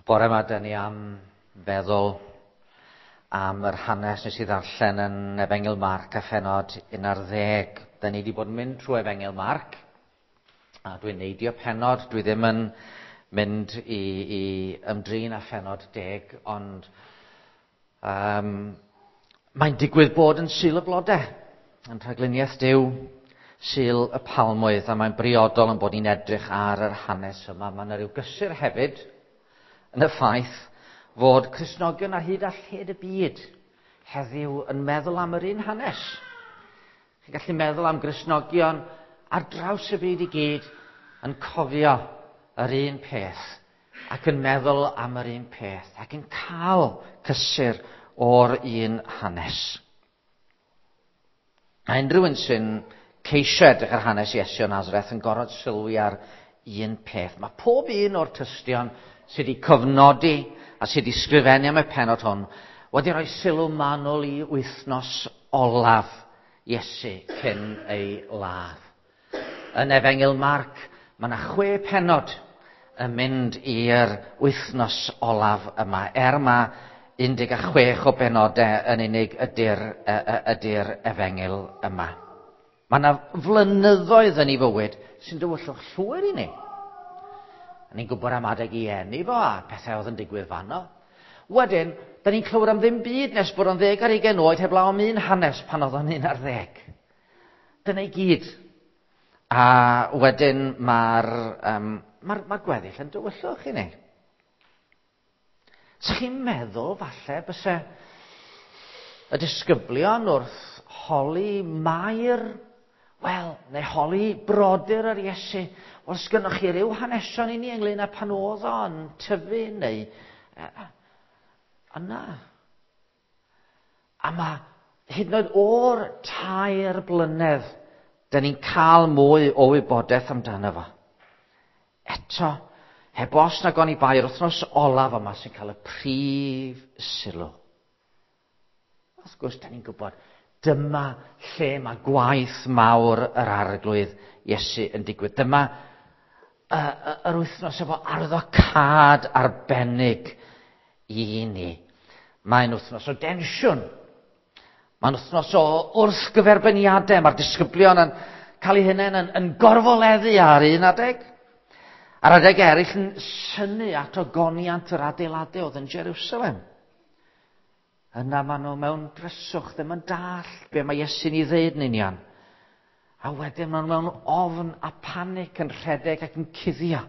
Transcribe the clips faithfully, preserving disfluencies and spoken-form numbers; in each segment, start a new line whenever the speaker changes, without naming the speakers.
Bore yma, dyn ni am feddwl am yr hanes nes i ddarllen yn Efengyl Marc a phenod un ar ddeg. Dyn ni wedi bod yn mynd trwy Efengyl Marc, a dwi'n neidio penod, dwi ddim yn mynd i, i ymdrin â phenod deg, ond um, mae'n digwydd bod yn Sul y Blodau, yn rhagluniaeth Duw, Sul y Palmwydd, a mae'n briodol yn bod ni'n edrych ar yr hanes yma. Mae yna ryw gysur hefyd yn y ffaith fod Cristnogion ar hyd a lled y byd heddiw yn meddwl am yr un hanes. Chi'n gallu meddwl am Gristnogion ar draws y byd i gyd yn cofio yr un peth ac yn meddwl am yr un peth ac yn cael cysur o'r un hanes. A unrhyw un sy'n ceisio edrych ar hanes Iesu o Nazareth yn gorfod sylwi ar un peth. Mae pob un o'r tystion sydd wedi cofnodi a sydd wedi sgrifennu am y pennod hwn wedi rhoi sylw manwl i wythnos olaf Iesu cyn ei ladd. Yn Efengyl Marc, mae yna chwe pennod yn mynd i'r wythnos olaf yma. Er mae un deg chwech o benodau yn unig ydy'r, ydy'r Efengyl yma. Mae yna flynyddoedd yn ei fywyd sy'n dywyllwch llwyr i ni. Ni'n gwybod am adeg i eni fo a pethau oedd yn digwydd fanno. Wedyn, da ni'n clywed am ddim byd nes bod o'n ddeg ar ugain oed heblaw am un hanes pan oedd o'n un ar ddeg. Dyna i gyd. A wedyn mae'r um, mae'r, mae'r gweddill yn dywyllwch i ni. Sa chi'n meddwl falle byse y disgyblion wrth holi Mair, wel, neu holi brodyr yr Iesu, wel, sgynnoch chi ryw hanesion i ni ynglyn â pan oedd o'n tyfu neu... Yna. A mae hyd yn oed o'r tair blynedd, dyn ni'n cael mwy o wybodaeth amdano fo. Eto, heb os nag oni bai, yr wythnos olaf yma sy'n cael y prif sylw. Wrth gwrs, dyn ni'n gwybod, dyma lle mae gwaith mawr yr Arglwydd Iesu yn digwydd. Dyma uh, yr wythnos efo arwyddocâd arbennig i ni. Mae'n wythnos o densiwn. Mae'n wythnos o wrthgyferbyniadau. Mae'r disgyblion yn cael eu hunain yn, yn gorfoleddu ar un adeg. Ar adeg eraill yn synnu at ogoniant yr adeiladau oedd yn Jerusalem. Yna maen nhw mewn dryswch, ddim yn dallt be mae Iesu'n ei ddeud yn union. A wedyn maen nhw mewn ofn a panic yn rhedeg ac yn cuddio.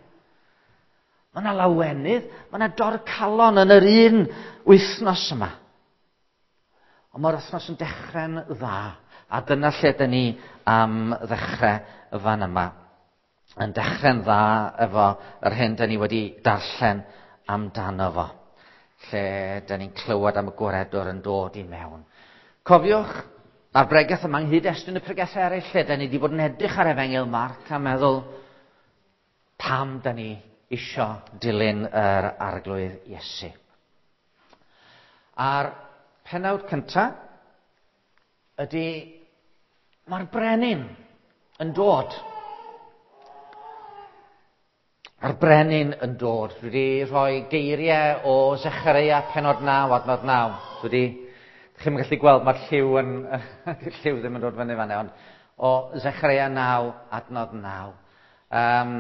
Mae yna lawenydd, mae yna dorcalon yn yr un wythnos yma. Ond mae'r wythnos yn dechrau'n dda, a dyna lle dyn ni am ddechrau y fan yma. Yn dechrau'n dda efo yr hyn dyn ni wedi darllen amdano fo, lle dyn ni'n clywed am y gwaredwr yn dod i mewn. Cofiwch, mae'r bregeth yma ynghyd-destun y pregethau eraill, lle dyn ni wedi bod yn edrych ar Efengyl Marc a meddwl pam dyn ni isio dilyn yr Arglwydd Iesu. A'r pennawd cyntaf ydy mae'r brenin yn dod. Mae'r brenin yn dod. Dwi wedi rhoi geiriau o Zechareia pennod naw, adnod naw. Dwi wedi, chi'n gallu gweld, mae'r lliw, yn, lliw ddim yn dod fyny fan'na, ond o Zechareia naw, adnod naw. Um,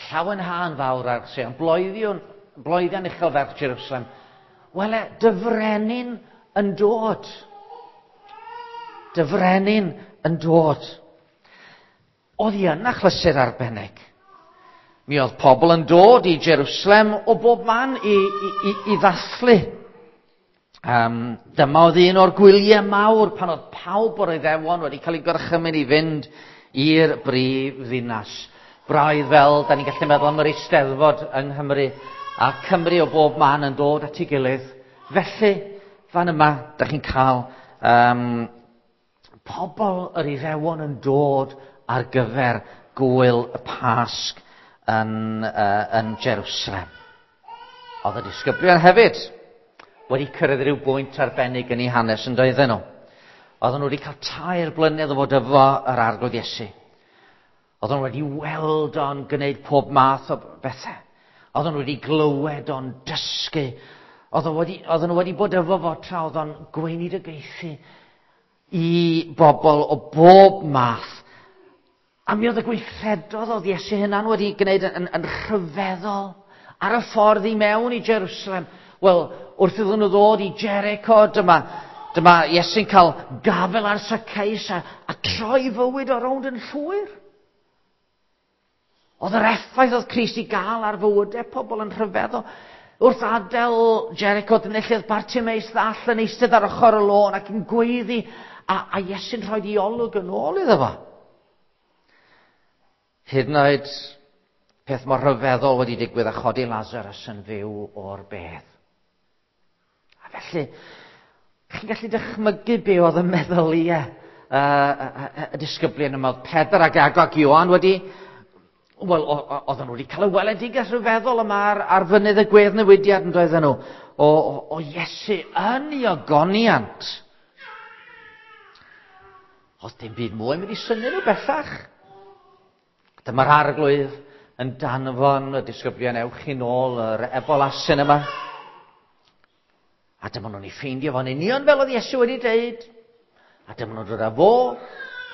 llawenhân fawr ar Seion, bloeddion, bloeddion uchel ferch Jerusalem. Wele, dy frenin yn dod. Dy frenin yn dod. Oedd hi yn achlysur arbennig. Mi oedd pobl yn dod i Jerusalem o bob man i, i, i, i ddathlu. Um, dyma oedd un o'r gwyliau mawr pan oedd pawb o'r Iddewon wedi cael eu gorchymyn i fynd i'r brif ddinas. Braidd fel, da ni'n gallu meddwl am yr Eisteddfod yng Nghymru, a Cymru o bob man yn dod at ei gilydd. Felly, fan yma, da chi'n cael um, pobl yr Iddewon yn dod ar gyfer gwyl y Pasg yn, uh, yn Jerusalem. Oedd y disgyblion hefyd wedi cyrraedd rhyw bwynt arbennig yn eu hanes yn doedden nhw. Oedden nhw wedi cael tair blynedd o fod efo yr Arglwydd Iesu. Oedden nhw wedi weld o'n gwneud pob math o bethau. Oedden nhw wedi glywed o'n dysgu. Oedden nhw wedi, oedden nhw wedi bod efo fo tra oedd o'n gweinidogaethu i bobl o bob math. A mi oedd y gweithredodd oedd Iesu hunan wedi gwneud yn, yn, yn rhyfeddol ar y ffordd i mewn i Jerusalem. Wel, wrth iddyn nhw ddod i Jericho, dyma, dyma Iesu'n cael gafel ar Zacchaeus a, a troi fywyd o rownd yn llwyr. Oedd yr effaith oedd Crist i gael ar fywydau pobl yn rhyfeddol. Wrth adael Jericho, dyna lle oedd Bartimeus ddall yn eistedd ar ochr y lôn ac yn gweiddi, a, a Iesu'n rhoi ei olwg yn ôl iddo fo. Hyd yn oed peth mor rhyfeddol wedi digwydd a chodi Lazarus yn fyw o'r bedd. A felly, chi'n gallu dychmygu be oedd y meddyliau uh, y, y, y disgyblion yma. Oedd Pedr ac Iago ac Ioan wedi, wel, oedden nhw wedi cael y weledigaeth rhyfeddol yma ar, ar fynydd y gweddnewidiad yn doedden nhw, o, o, o Iesu yn ei ogoniant. Oedd dim byd mwy mynd i synnu nhw bellach. Dyma'r arglwydd yn danfon y disgyblion, ewch i nôl yr ebol asyn yma. A dyma nhw'n ei ffeindio fo'n union fel oedd Iesu wedi deud. A dyma nhw'n dod â fo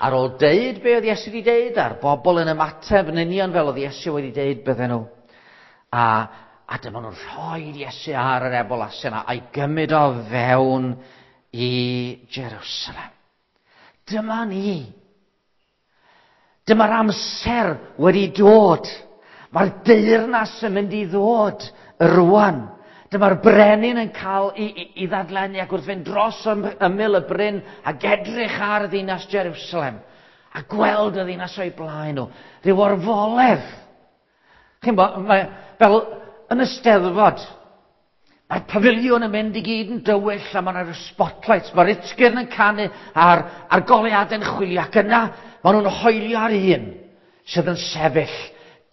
ar ôl deud be oedd Iesu wedi deud, a'r bobl yn ymateb yn union fel oedd Iesu wedi deud bydden nhw. A, a dyma nhw'n rhoi Iesu ar yr ebol asyn a'i gymryd o fewn i Jerusalem. Dyma ni. Dyma'r amser wedi dod. Mae'r deyrnas yn mynd i ddod rwan. Dyma'r brenin yn cael i, i, i ddadlennu ac wrth fynd dros ymyl y bryn ac edrych ar ddinas Jerusalem a gweld y ddinas o'i blaen nhw. Rhyw orfoledd. Chi'n bo, mae, fel yn y Steddfod, mae'r pafiliwn yn mynd i gyd yn dywyll a mae'r spotlights, mae'r utgyrn yn canu a'r, a'r goleuadau'n chwilio ac yna maen nhw'n hoelio ar un sydd yn sefyll.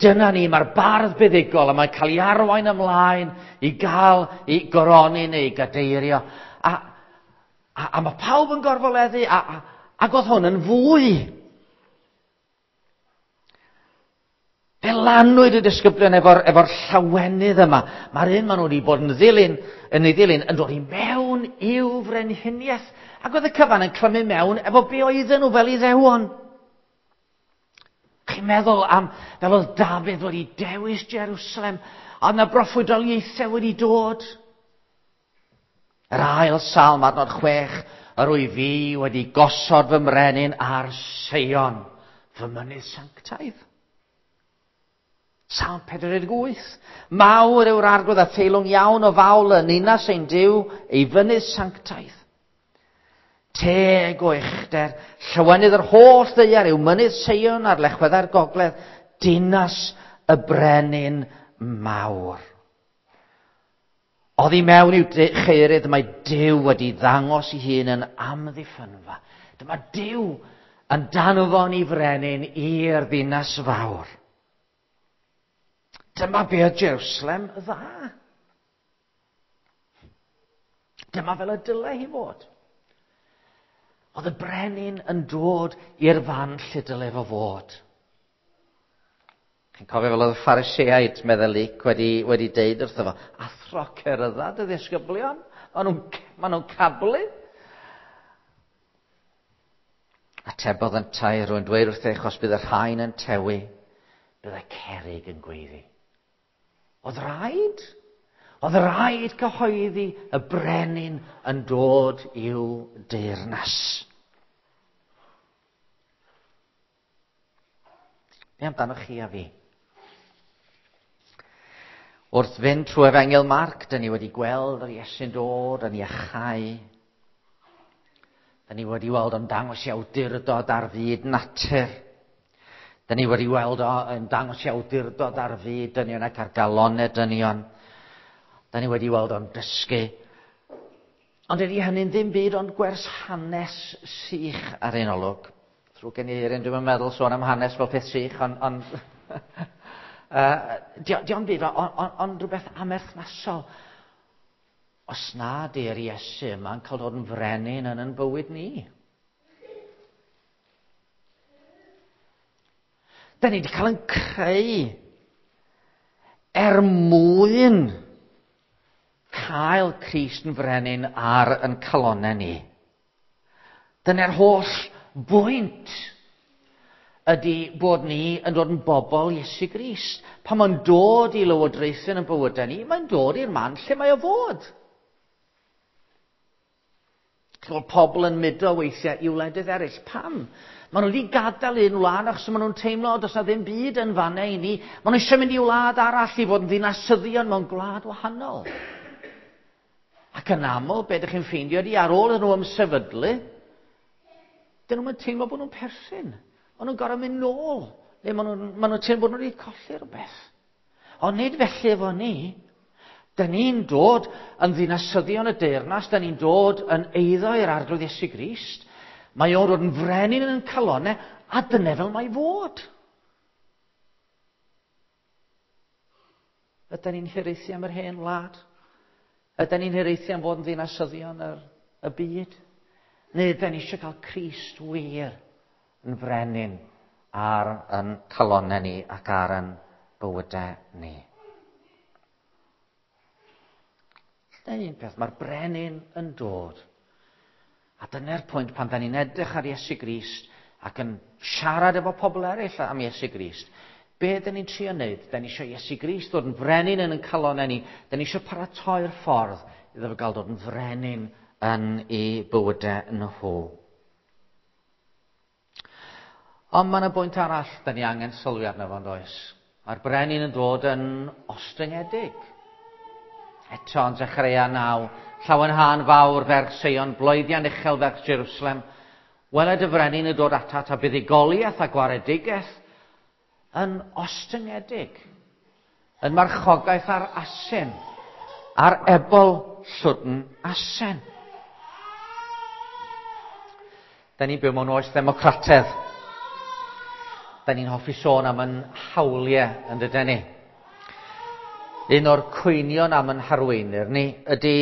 Dyna ni, mae'r bardd buddugol a mae'n cael ei arwain ymlaen i gael ei goroni neu ei gadeirio. A, a, a mae pawb yn gorfoleddu a, a, ac oedd hwn yn fwy. Fe lanwyd y disgyblion efo'r efo llawenydd yma. Mae'r un maen nhw wedi bod yn ddilyn, yn ei ddilyn yn dod i mewn i'w frenhiniaeth. Ac oedd y cyfan yn clymu mewn efo be oedden nhw fel Iddewon. Chi'n meddwl am fel oedd Dafydd wedi dewis Jerusalem, a yna broffwydoliaethau wedi dod. Yr ail salm, adnod chwech, yr wyf fi wedi gosod fy mrenin ar Seion, fy mynydd sanctaidd. Salm pedwar deg wyth. Mawr yw'r arglwydd a theilwng iawn o fawl yn ninas ein Duw, ei fynydd sanctaidd. Teg o uchder, llawenydd yr holl ddaear yw mynydd Seion ar lechweddau'r gogledd, dinas y brenin mawr. Oddi mewn i'w cheirydd mae Duw wedi ddangos ei hun yn amddiffynfa. Dyma Duw yn danfon i frenin i'r ddinas fawr. Dyma be oedd Jerusalem dda. Dyma fel y dyle hi fod. Oedd y brenin yn dod i'r fan lle dyle fo fod. Chi'n cofio fel oedd y Phariseaid, meddai Luc, wedi, wedi deud wrtho fo, athro cerydda dy ddisgyblion, maen nhw'n ma nhw cablu. Atebodd yntau, rwy'n dweud wrthych, os bydd y rhain yn tewi, bydd y cerrig yn gweiddi. Oedd rhaid? Oedd rhaid cyhoeddi y brenin yn dod i'w deyrnas. Be amdanoch chi a fi? Wrth fynd trwy Efengyl Marc, dyn ni wedi gweld yr Iesu'n dod yn iachau. Dyn ni wedi weld o'n dangos i awdurdod ar fyd natur. Dyn ni wedi weld o'n dangos i awdurdod ar fyd dynion ac ar galonau dynion. Dyn ni wedi weld o'n dysgu. Ond ydy hynny'n ddim byd ond gwers hanes sych ar ein olwg. Drwy gen i eirin, dwi'm yn meddwl sôn am hanes fel peth sych, ond... On, uh, di, di byd, ond on, on rhywbeth amerthnasol. Os na di'r Iesu yma'n cael dod yn frenin yn yn bywyd ni. Da ni wedi cael yn creu Er mwyn cael Crist yn frenin ar yn calonnau ni. Dyna'r holl bwynt ydy bod ni yn dod yn bobl Iesu Grist. Pan mae'n dod i lywodraethu yn bywydau ni, mae'n dod i'r man lle mae o fod. Clywed pobl yn mudo weithiau i wledydd eraill. Pam? Maen nhw wedi gadael un wlad achos maen nhw'n teimlo does na ddim byd yn fanna i ni. Maen nhw eisiau mynd i wlad arall i fod yn ddinasyddion mewn gwlad wahanol. Ac yn aml, be ydych chi'n ffeindio ydy ar ôl iddyn nhw ymsefydlu, dyn nhw'n teimlo bod nhw'n perthyn. Maen nhw'n gorfod mynd nôl. Neu maen nhw'n maen nhw teimlo bod nhw wedi colli rhywbeth. Ond nid felly efo ni. Dyn ni'n dod yn ddinasyddion y deyrnas, dyn ni'n dod yn eiddo i'r Arglwydd Iesu Grist. Mae o'n dod yn frenin yn calonnau, a dyna fel mae fod. Ydyn ni'n hiraethu am yr hen wlad? Ydyn ni'n hiraethu am fod yn ddinasyddion yr, y byd? Neu ydyn ni eisiau cael Crist wir yn frenin ar yn calonnau ni ac ar yn bywydau ni? Dyna un peth, mae'r brenin yn dod. A dyna'r pwynt pan da ni'n edrych ar Iesu Grist ac yn siarad efo pobl eraill am Iesu Grist. Be dyn ni'n trio wneud? Da ni eisiau Iesu Grist dod yn frenin yn ein calonnau ni. Da ni eisiau paratoi'r ffordd iddo fo gael dod yn frenin yn ei bywydau nhw. Ond mae yna bwynt arall da ni angen sylwi arno fo, does? Mae'r brenin yn dod yn ostyngedig. Eto yn Zechareia naw, llawenhân fawr ferch Seion, bloeddian uchel ferch Jerusalem. Weled y frenin yn dod atat a buddugoliaeth a gwaredigaeth yn ostyngedig, yn marchogaeth ar asen, ar ebol llwdn asen. Da ni'n byw mewn oes ddemocratedd. Da ni'n hoffi sôn am yn hawliau yn dydyn ni. Un o'r cwynion am yn harweinwyr ni ydy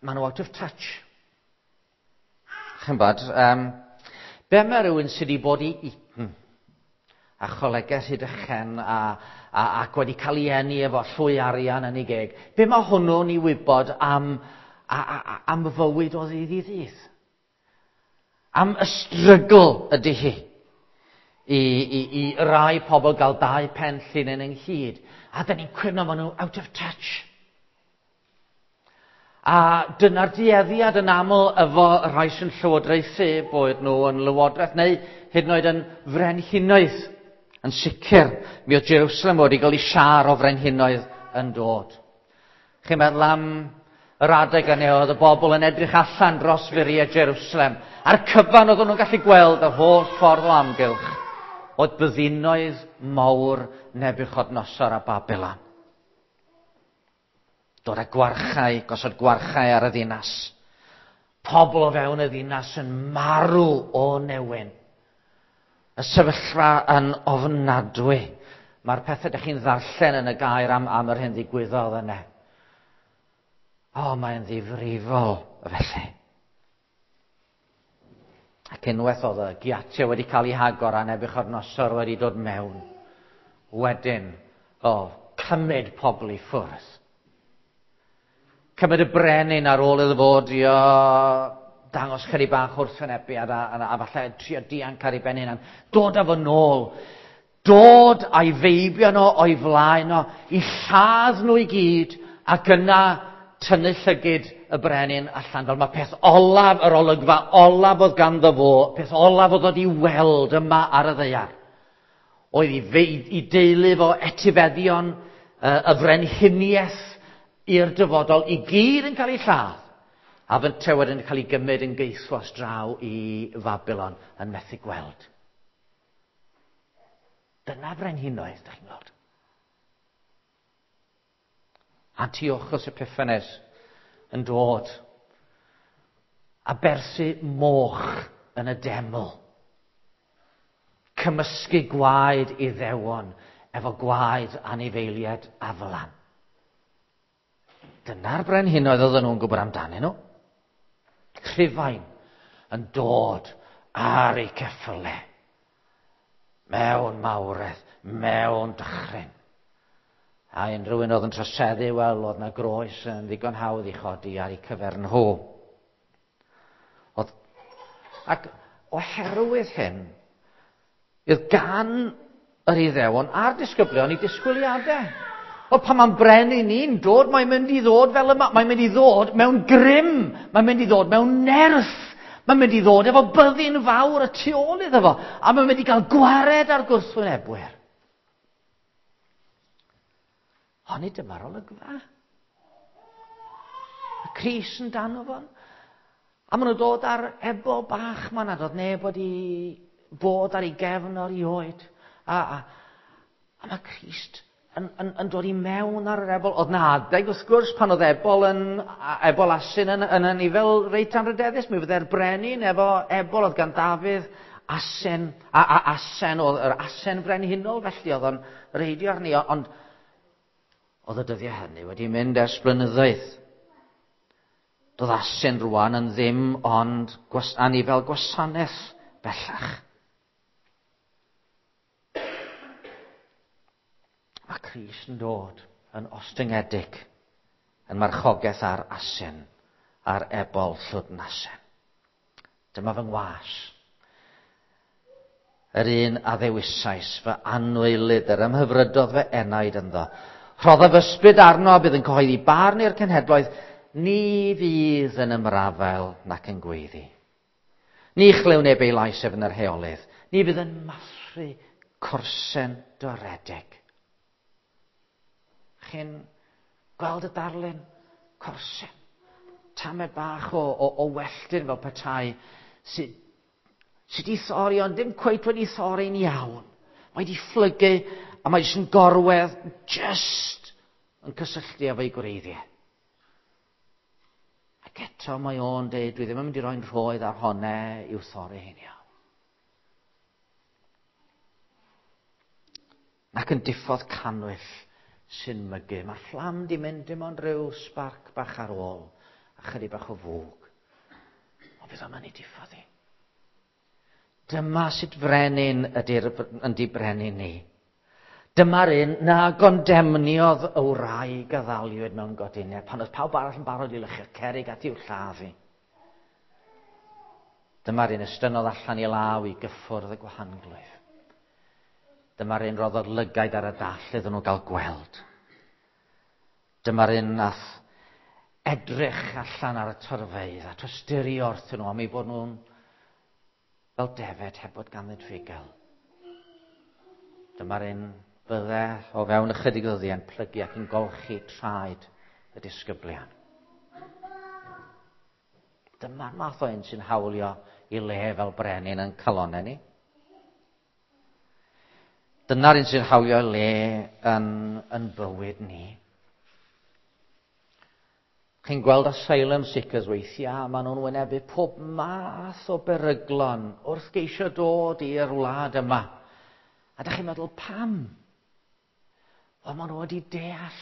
maen nhw out of touch. Chi'n bod, um, be mae rhywun sydd wedi bod i Eton a cholegau Rhydychen a, a, ac wedi cael ei eni efo llwy arian yn ei geg, be mae hwnnw'n ei wybod am, a, a, am fywyd o ddydd i ddydd? Am y strygl ydy hi. I, i, i rai pobl gael dau pen llinyn ynghyd. A dyn ni'n cwyno, maen nhw out of touch. A dyna'r dueddiad yn aml efo rhai sy'n llywodraethu, boed nhw yn lywodraeth neu hyd yn oed yn frenhinoedd. Yn sicr, mi oedd Jerusalem wedi cael ei siar o frenhinoedd yn dod. Chi'n meddwl am yr adeg yna oedd y bobl yn edrych allan dros furiau Jerusalem. A'r cyfan oedden nhw'n gallu gweld yr holl ffordd o amgylch oedd byddinoedd mawr Nebuchadnezzar a Babylon. Dod â gwarchau, gosod gwarchau ar y ddinas. Pobl o fewn y ddinas yn marw o newyn. Y sefyllfa yn ofnadwy. Mae'r pethau ydych chi'n ddarllen yn y gair am, am yr hyn ddigwyddodd yna. O, mae'n ddifrifol felly. Ac unwaith oedd y giatiau wedi cael ei hagor a Nebuchadnezzar wedi dod mewn. Wedyn, o, cymryd pobl i ffwrdd. Cymryd y brenin ar ôl iddo fod i o, dangos chydig bach wrthwynebiad a, a, a falle trio dianc ar ei ben hunan. Dod â fo nôl. Dod a'i feibion o o'i flaen o, i lladd nhw i gyd, ac yna tynnu llygid y brenin allan. Fel mae peth olaf, yr olygfa olaf oedd ganddo fo, peth olaf oedd oedd i weld yma ar y ddaear. Oedd i, fe, i deulu fo etifeddion y frenhiniaeth i'r dyfodol i gyd yn cael ei lladd. A fynte wedyn yn cael ei gymryd yn geithwas draw i Fabilon yn methu gweld. Dyna frenhinoedd, ydych chi'n gweld. Antiochus Epiphanes yn dod a berthu moch yn y deml. Cymysgu gwaed Iddewon efo gwaed anifeiliaid aflan. Dyna'r brenhinoedd oedden nhw'n gwybod amdanyn nhw. Rhufain yn dod ar eu ceffyle. Mewn mawredd, mewn dychryn. A unrhyw un oedd yn troseddu, wel, oedd na groes yn ddigon hawdd i chodi ar eu cyfer nhw. Oedd, ac oherwydd hyn, oedd gan yr Iddewon a'r disgyblion i disgwyliadau. Wel, pan mae'n brenin ni'n dod, mae'n mynd i ddod fel yma. Mae'n mynd i ddod mewn grym. Mae'n mynd i ddod mewn nerth. Mae'n mynd i ddod efo byddin fawr y tu ôl iddo fo. A mae'n mynd i gael gwared ar gwrthwynebwyr. Ond nid dyma'r olygfa. Y Crist yn dan o fo. A maen nhw'n dod ar ebol bach ma nad oedd neb wedi bod ar ei gefn erioed. A, a, a mae Crist yn, yn, yn dod i mewn ar yr ebol. Oedd na adeg wrth gwrs pan oedd ebol yn, ebol asyn yn, yn, yn fel reit anrhydeddus. Mi fydde'r brenin efo ebol oedd gan Dafydd asen, a, a asen, oedd yr asen brenhinol felly oedd o'n reidio arni. Ond oedd y dyddiau hynny wedi mynd ers blynyddoedd. Doedd asyn rwan yn ddim ond gwas, anifel gwasanaeth bellach. Mae Crist yn dod yn ostyngedig, yn marchogaeth ar asyn, ar ebol llwdn asen. Dyma fy ngwas. Yr un a ddewisais fy anwylyd, yr ymhyfrydodd fy enaid ynddo. Rhoddaf ysbryd arno a bydd yn cyhoeddi barn i'r cenhedloedd, ni fydd yn ymrafael nac yn gweiddi. Ni chlyw neb ei lais ef yn yr heolydd. Ni fydd yn mathru corsen doredig. Chi'n gweld y darlun? Corsen. Tamed bach o, o, o welltyn fel petai sydd sy wedi thorri, ond dim cweit wedi thorri'n iawn. Mae wedi fflygu a mae jyst yn gorwedd, just yn cysylltu efo'i gwreiddiau. Ac eto mae o'n deud, dwi ddim yn mynd i roi'n rhoedd ar honne i'w thorri hi'n iawn. Ac yn diffodd cannwyll sy'n mygu. Mae'r fflam di mynd dim ond rhyw sbarc bach ar ôl a chydig bach o fwg. Ond fydd o'n mynd i diffodd hi. Dyma sut frenin ydy'r, ydy brenin ni. Dyma'r un na gondemniodd y wraig a ddaliwyd mewn godineb pan oedd pawb arall yn barod i lychu'r cerrig at i'w lladd hi. Dyma'r un estynnodd allan i law i gyffwrdd y gwahanglwyf. Dyma'r un roddodd lygaid ar y dall iddyn nhw gael gweld. Dyma'r un nath edrych allan ar y torfeydd a tosturio wrthyn nhw am eu bod nhw'n fel defed heb fod ganddynt fugel. Dyma'r un fydde o fewn ychydig ddyddiau yn plygu ac yn golchi traed y disgyblion. Dyma'r math o un sy'n hawlio i le fel brenin yn calonau ni. Dyna'r un sy'n hawlio i le yn, yn bywyd ni. Chi'n gweld asylum seekers weithiau, maen nhw'n wynebu pob math o beryglon wrth geisio dod i'r wlad yma. A dach chi'n meddwl, pam? Wel, maen nhw wedi deall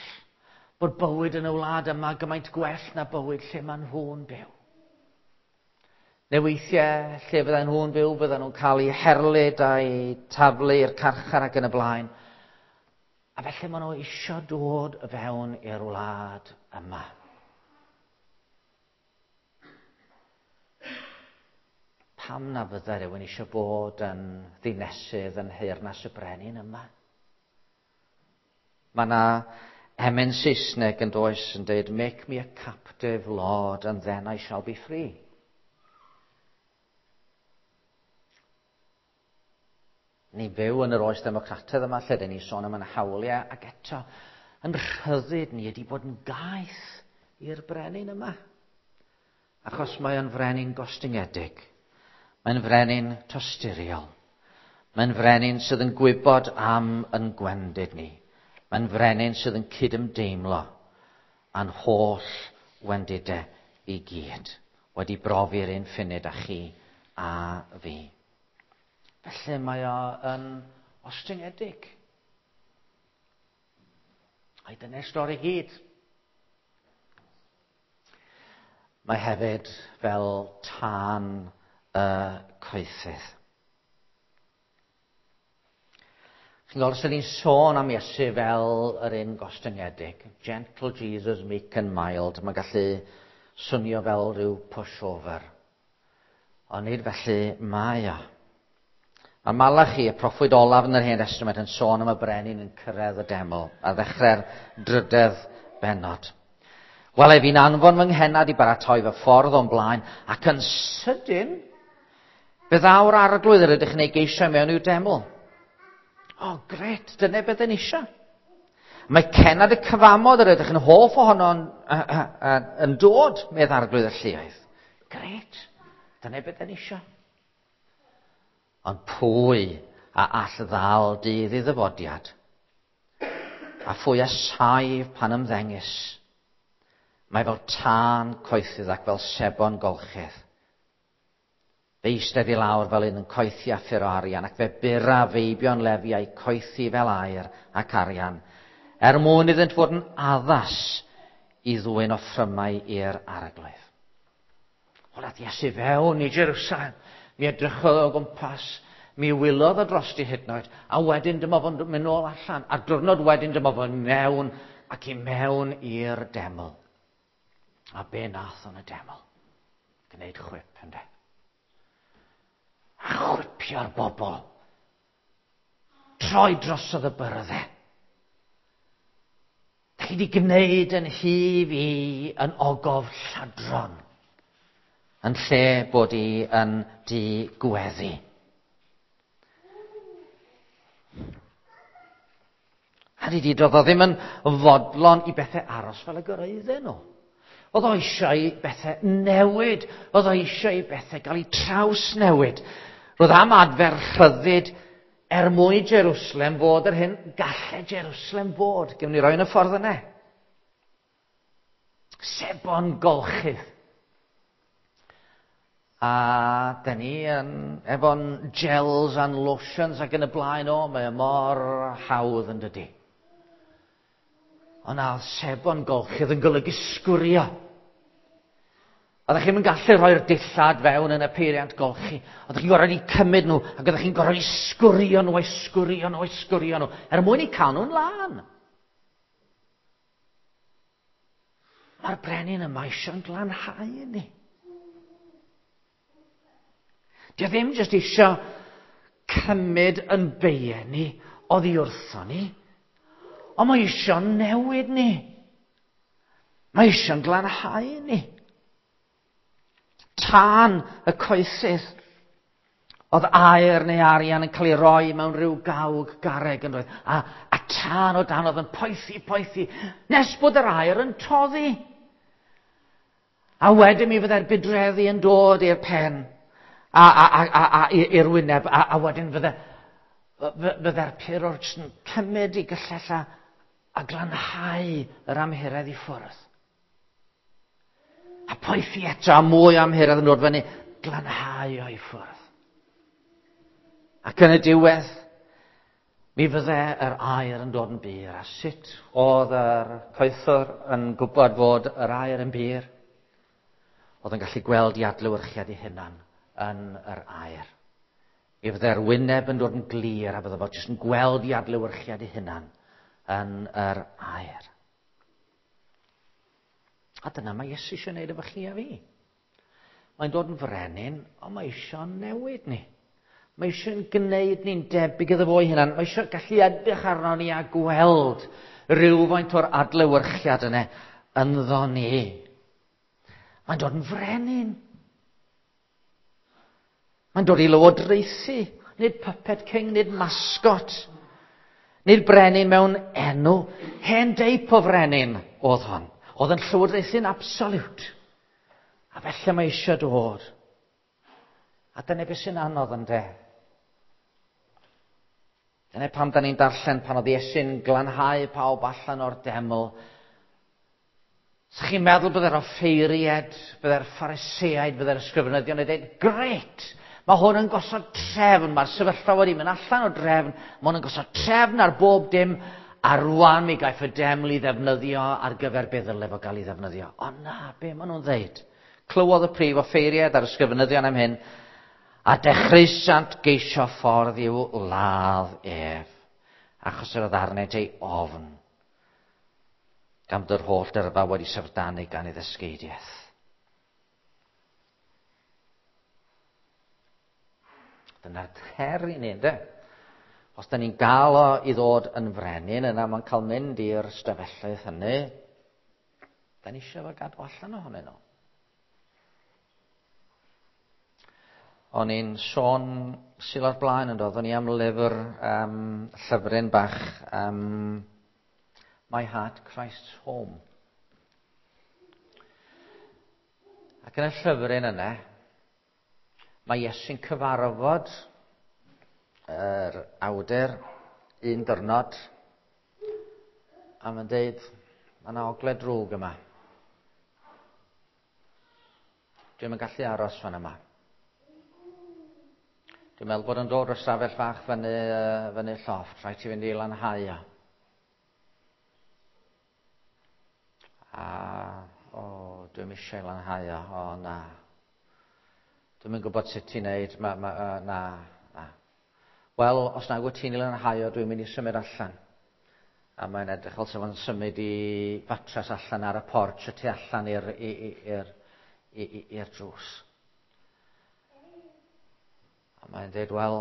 bod bywyd yn y wlad yma gymaint gwell na bywyd lle maen nhw'n byw. Neu weithiau, lle fydden nhw'n byw, fydden nhw'n cael eu herlid a'u taflu i'r carchar ac yn y blaen. A felly maen nhw eisiau dod fewn i'r wlad yma. Pam na fydde rhywun eisiau bod yn ddinesydd yn nheyrnas y brenin yma? Mae yna emyn Saesneg yn does yn dweud, "Make me a captive, Lord, and then I shall be free." Ni fyw yn yr oes democrataidd yma lle dyn ni sôn am yn hawliau, ac eto yn rhyddid ni ydy bod yn gaeth i'r brenin yma. Achos mae o'n frenin gostyngedig. Mae'n frenin tosturiol. Mae'n frenin sydd yn gwybod am yn gwendid ni. Mae'n frenin sydd yn cydymdeimlo â'n holl wendidau i gyd. Wedi brofi'r un ffunud â chi a fi. Felly mae o yn ostyngedig. Ai dyna'r stori gyd. Mae hefyd fel tân y coethydd. Chi'n gweld, os ydyn ni'n sôn am Iesu fel yr un gostyngedig, gentle Jesus, meek and mild, mae'n gallu swnio fel rhyw pushover. Ond nid felly mae o. Mae Malachi, y proffwyd olaf yn yr Hen Testament, yn sôn am y brenin yn cyrraedd y deml a ddechrau'r drydedd bennod. Wel, fi'n anfon fy nghennad i baratoi fy ffordd o'n blaen, ac yn sydyn, fe ddaw'r arglwydd yr ydych chi'n ei geisio mewn i'w deml. O, oh, gret, dyna beth yn eisiau. Mae cennad y cyfamod yr ydych yn hoff ohono yn, yn, yn dod, medd arglwydd y lluoedd. Gret, dyna beth yn eisiau. Ond pwy a all ddal dydd i ddyfodiad? A phwy a saif pan ymddengys? Mae fel tân coethydd ac fel sebon golchydd. Fe eistedd i lawr fel un yn coethi a ffur o arian, ac fe bura feibion Lefi a'u coethi fel aur ac arian, er mwyn iddynt fod yn addas i ddwyn offrymau i'r arglwydd. Wel, ath Iesu fewn i Jerusalem, mi edrychodd o gwmpas, mi wylodd o drosti hyd yn oed, a wedyn dyma fo'n mynd nôl allan, a'r diwrnod wedyn dyma fo'n mewn ac i mewn i'r deml. A be nath o'n y deml? Gwneud chwip, ynde? A chwipio'r bobl. Troi drosodd y byrddau. Da chi wedi gwneud yn hi fi yn ogof lladron, yn lle bod i yn di gweddi. A di di, doedd o ddim yn fodlon i bethau aros fel y gyrraedden nhw. Oedd o eisiau i bethau newid. Oedd o eisiau i bethau gael eu trawsnewid. Roedd am adfer rhyddid er mwyn Jerusalem fod yr hyn gallai Jerusalem fod. Gewn ni roi yn y ffordd yna. Sebon golchydd. A da ni yn, efo'n gels and lotions ac yn y blaen, o, mae o mor hawdd yn dydi. Ond na, sebon golchydd yn golygu sgwrio. Oeddech chi'n gallu rhoi'r dillad fewn yn y peiriant golchi. Oeddech chi'n gorfod eu cymryd nhw, ac oeddech chi'n gorfod eu sgwrio nhw, eu sgwrio nhw, eu sgwrio nhw, er mwyn eu cael nhw'n lân. Mae'r brenin yma eisiau'n glanhau ni. Dio ddim jyst eisiau cymryd yn beiau ni oddi wrtho ni, ond mae eisiau newid ni. Mae eisiau'n glanhau ni. Tân y coethydd. Oedd aur neu arian yn cael ei roi mewn rhyw gawg garreg yn roedd. A, a tân o dan oedd yn poethi, poethi, nes bod yr aur yn toddi. A wedyn mi fyddai'r budreddi yn dod i'r pen, a, a, a, a, a i'r wyneb, a, a wedyn fydde, fydde'r purwr jyst yn cymryd i gyllell a, a glanhau yr amhuredd i ffwrdd. A poethi eto, a mwy o amhuredd yn dod fyny, glanhau o'i ffwrdd. Ac yn y diwedd, mi fydde yr aur yn dod yn bur. A sut oedd yr coethwr yn gwybod fod yr aur yn bur? Oedd yn gallu gweld i adlewyrchiad ei hunan yn yr aur. Mi fydde'r wyneb yn dod yn glir a bydde fo jyst yn gweld i adlewyrchiad ei hunan yn yr aur. A dyna mae Iesu eisiau gwneud efo chi a fi. Mae'n dod yn frenin, ond mae eisiau newid ni. Mae eisiau'n gwneud ni'n debyg iddo fo'i hunan. Mae eisiau gallu edrych arno ni a gweld rhywfaint o'r adlewyrchiad yna ynddo ni. Mae'n dod yn frenin. Mae'n dod i lywodraethu. Nid puppet king, nid mascot. Nid brenin mewn enw. Hen deip o frenin oedd hon. Oedd yn llywodraethu'n absolute. A felly mae eisiau dod. A dyna beth sy'n anodd ynde. Dyna pam da ni'n darllen pan oedd Iesu'n glanhau pawb allan o'r deml. Sa chi'n meddwl bydde'r offeiriaid, bydde'r Phariseaid, bydde'r ysgrifenyddion yn dweud, grêt, mae hwn yn gosod trefn, mae'r sefyllfa wedi mynd allan o drefn, mae hwn yn gosod trefn ar bob dim, a rwan mi gaiff y deml i ddefnyddio ar gyfer beth ddyle fo gael ei ddefnyddio. O na, be maen nhw'n ddeud? Clywodd y prif offeiriaid a'r ysgrifenyddion am hyn, a dechreusant geisio ffordd i'w ladd ef. Achos yr oedd arnynt ei ofn, gan fod yr holl dyrfa wedi syfrdanu gan ei ddysgeidiaeth. Dyna'r her i ni, ynde? Os da ni'n gael o i ddod yn frenin, yna mae'n cael mynd i'r stafelloedd hynny. Da ni eisiau fo gadw allan ohonyn nhw. O'n i'n sôn Sul o'r blaen yn dod, o'n i am lyfr, um, llyfryn bach, um, My Heart, Christ's Home. Ac yn y llyfryn yna, mae Iesu'n cyfarfod yr awdur un dyrnod, a mae'n deud, mae yna ogle drwg yma. Dwi'm yn gallu aros fan yma. Dwi'n meddwl bod yn dod o'r stafell fach fyny, fyny llofft, rhaid ti fynd i lanhau o. A, o, dwi'm eisiau lanhau o, o na. Dwi'm yn gwybod sut ti'n neud, ma, ma, uh, na, na. Wel, os nag wyt ti'n ei lanhau o, dwi'n mynd i symud allan. A mae'n edrych fel sef o'n symud i fatras allan ar y porch y tu allan i'r, i'r, i'r drws. A mae'n dweud, wel,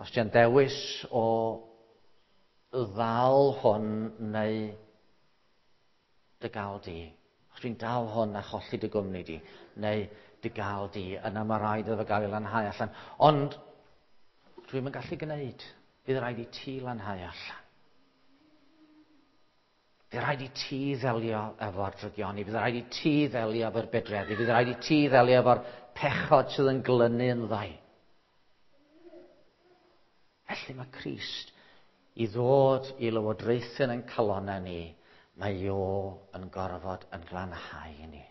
os ti'n dewis o ddal hwn neu dy gael di, os dwi'n dal hwn a cholli dy gwmni di, neu dy gael di, yna mae rhaid iddo fo gael ei lanhau allan. Ond dwi'm yn gallu gwneud, bydd rhaid i ti lanhau allan. Bydd rhaid i ti ddelio efo'r drygioni, bydd rhaid i ti ddelio efo'r bedreddi, bydd rhaid i ti ddelio efo'r pechod sydd yn glynu yn ddau. Felly mae Crist i ddod i lywodraethu yn calonnau ni, mae o yn gorfod yn glanhau ni.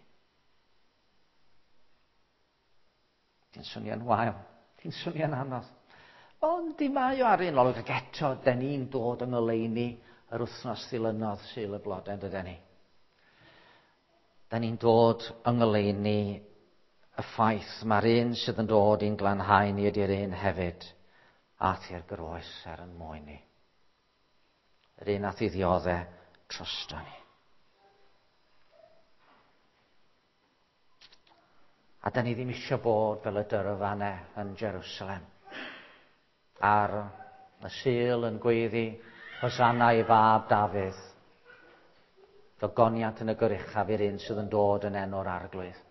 Ti'n swnio'n wael, ti'n swnio'n anodd. Ond di mae o ar un olwg, ac eto, den ni'n dod yng ngoleuni yr wythnos ddilynodd Sul y Blodau, dyden ni. Da ni'n dod yng ngoleuni y ffaith mae'r un sydd yn dod i'n glanhau ni ydy'r un hefyd ath i'r groes er yn mwyn ni. Yr un ath i ddioddau drosto ni. A da ni ddim eisiau bod fel y dyrfanau yn Jerusalem. Ar y Sul yn gweiddi Hosanna i fab Dafydd. Gogoniant yn y goruchaf i'r un sydd yn dod yn enw'r Arglwydd.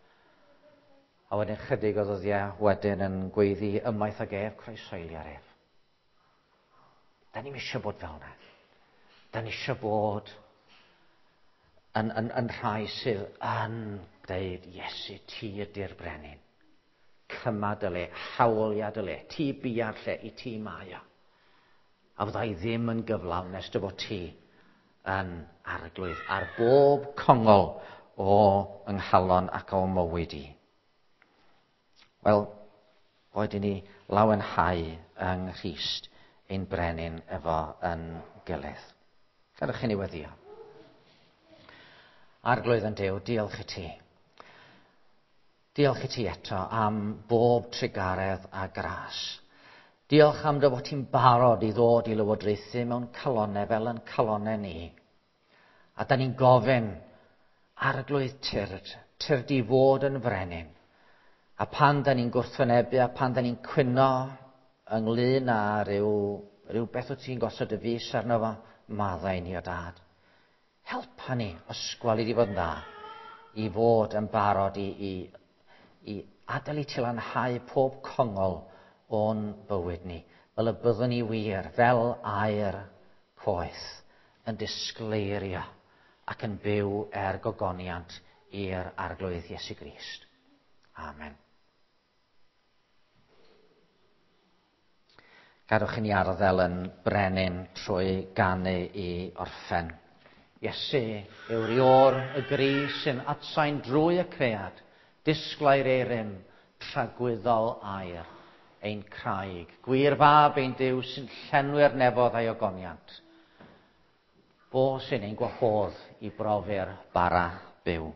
A wedyn chydig o ddyddiau wedyn yn gweiddi ymaith ag ef, croeshoelio'r ef. Da ni'm eisiau bod fel yna. Da ni eisiau bod yn, yn, yn rhai sydd yn deud, Iesu, ti ydy'r brenin. Cyma dy le, hawlia dy le, ti bia'r lle, i ti mae o. A fydda i ddim yn gyflawn nes dy fod ti yn arglwydd ar bob congol o yng nghalon ac o mywyd i. Wel, boed i ni lawenhau yng Nghrist ein brenin efo yn gilydd. Gadewch i ni weddio. Arglwydd yn Duw, diolch i ti. Diolch i ti eto am bob trugaredd a gras. Diolch am dy fod ti'n barod i ddod i lywodraethu mewn calonnau fel yn calonnau ni. A da ni'n gofyn, Arglwydd tyrd, tyrd i fod yn frenin. A pan da ni'n gwrthwynebu a pan da ni'n cwyno ynglyn â rhyw, rhywbeth wyt ti'n gosod y fus arno fo, maddau ni o dad. Helpa ni, ysgwal i di fod yn dda, i fod yn barod i, i, i adael i ti lanhau pob congol o'n bywyd ni, fel y byddwn ni wir, fel aer poeth, yn disgleirio ac yn byw er gogoniant i'r Arglwydd Iesu Grist. Amen. Gadewch i ni arddel yn brenin trwy ganu i orffen. Iesu yw'r ior y gri sy'n atsain drwy y cread, disglair ei rym, tragwyddol air, ein craig, gwir fab ein Duw sy'n llenwi'r nefodd a'i ogoniant. Fo sy'n ein gwahodd i brofi'r bara byw.